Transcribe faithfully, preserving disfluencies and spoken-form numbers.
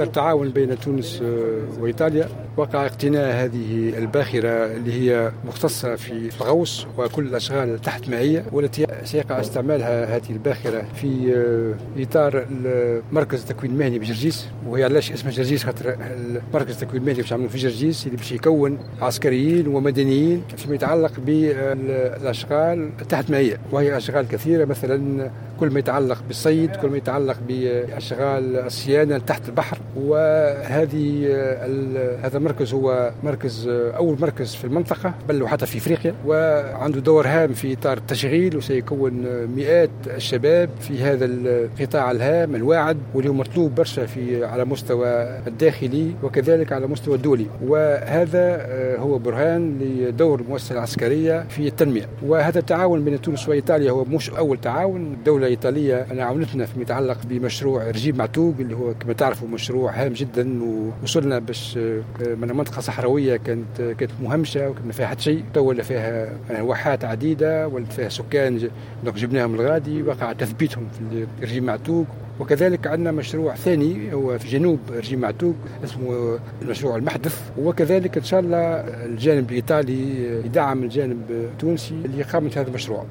التعاون بين تونس وإيطاليا وقع اقتناء هذه الباخرة اللي هي مختصة في الغوص وكل الأشغال تحت مائية، والتي سيقع استعمالها هذه الباخرة في إطار مركز التكوين المهني بجرجيس. وهي علاش اسمها جرجيس؟ خاطر مركز التكوين المهني باش يعملوا في جرجيس اللي باش يكون عسكريين ومدنيين فيما يتعلق بالأشغال تحت مائية، وهي أشغال كثيرة، مثلا كل ما يتعلق بالصيد، كل ما يتعلق بأشغال الصيانة تحت البحر. وهذه هذا المركز هو مركز أول مركز في المنطقة بل وحتى في إفريقيا، وعنده دور هام في إطار التشغيل، وسيكون مئات الشباب في هذا القطاع الهام الواعد واللي هو مطلوب برشا في على مستوى الداخلي وكذلك على مستوى الدولي. وهذا هو برهان لدور المؤسسة العسكرية في التنمية. وهذا التعاون بين تونس وإيطاليا هو مش أول تعاون. الدولة الإيطالية أنا عاونتنا فيما يتعلق بمشروع رجيب معتوق اللي هو كما تعرفوا مشروع هام جدا، ووصلنا باش من منطقة صحراوية كانت كانت مهمشة وكان ما فيها حتى شيء، تو ولا فيها واحات عديدة ولات فيها سكان donc جبناهم الغادي وقع تثبيتهم في رجيب معتوق. وكذلك عندنا مشروع ثاني هو في جنوب رجيب معتوق اسمه المشروع المحدث، وكذلك إن شاء الله الجانب الإيطالي يدعم الجانب التونسي لإقامة هذا المشروع.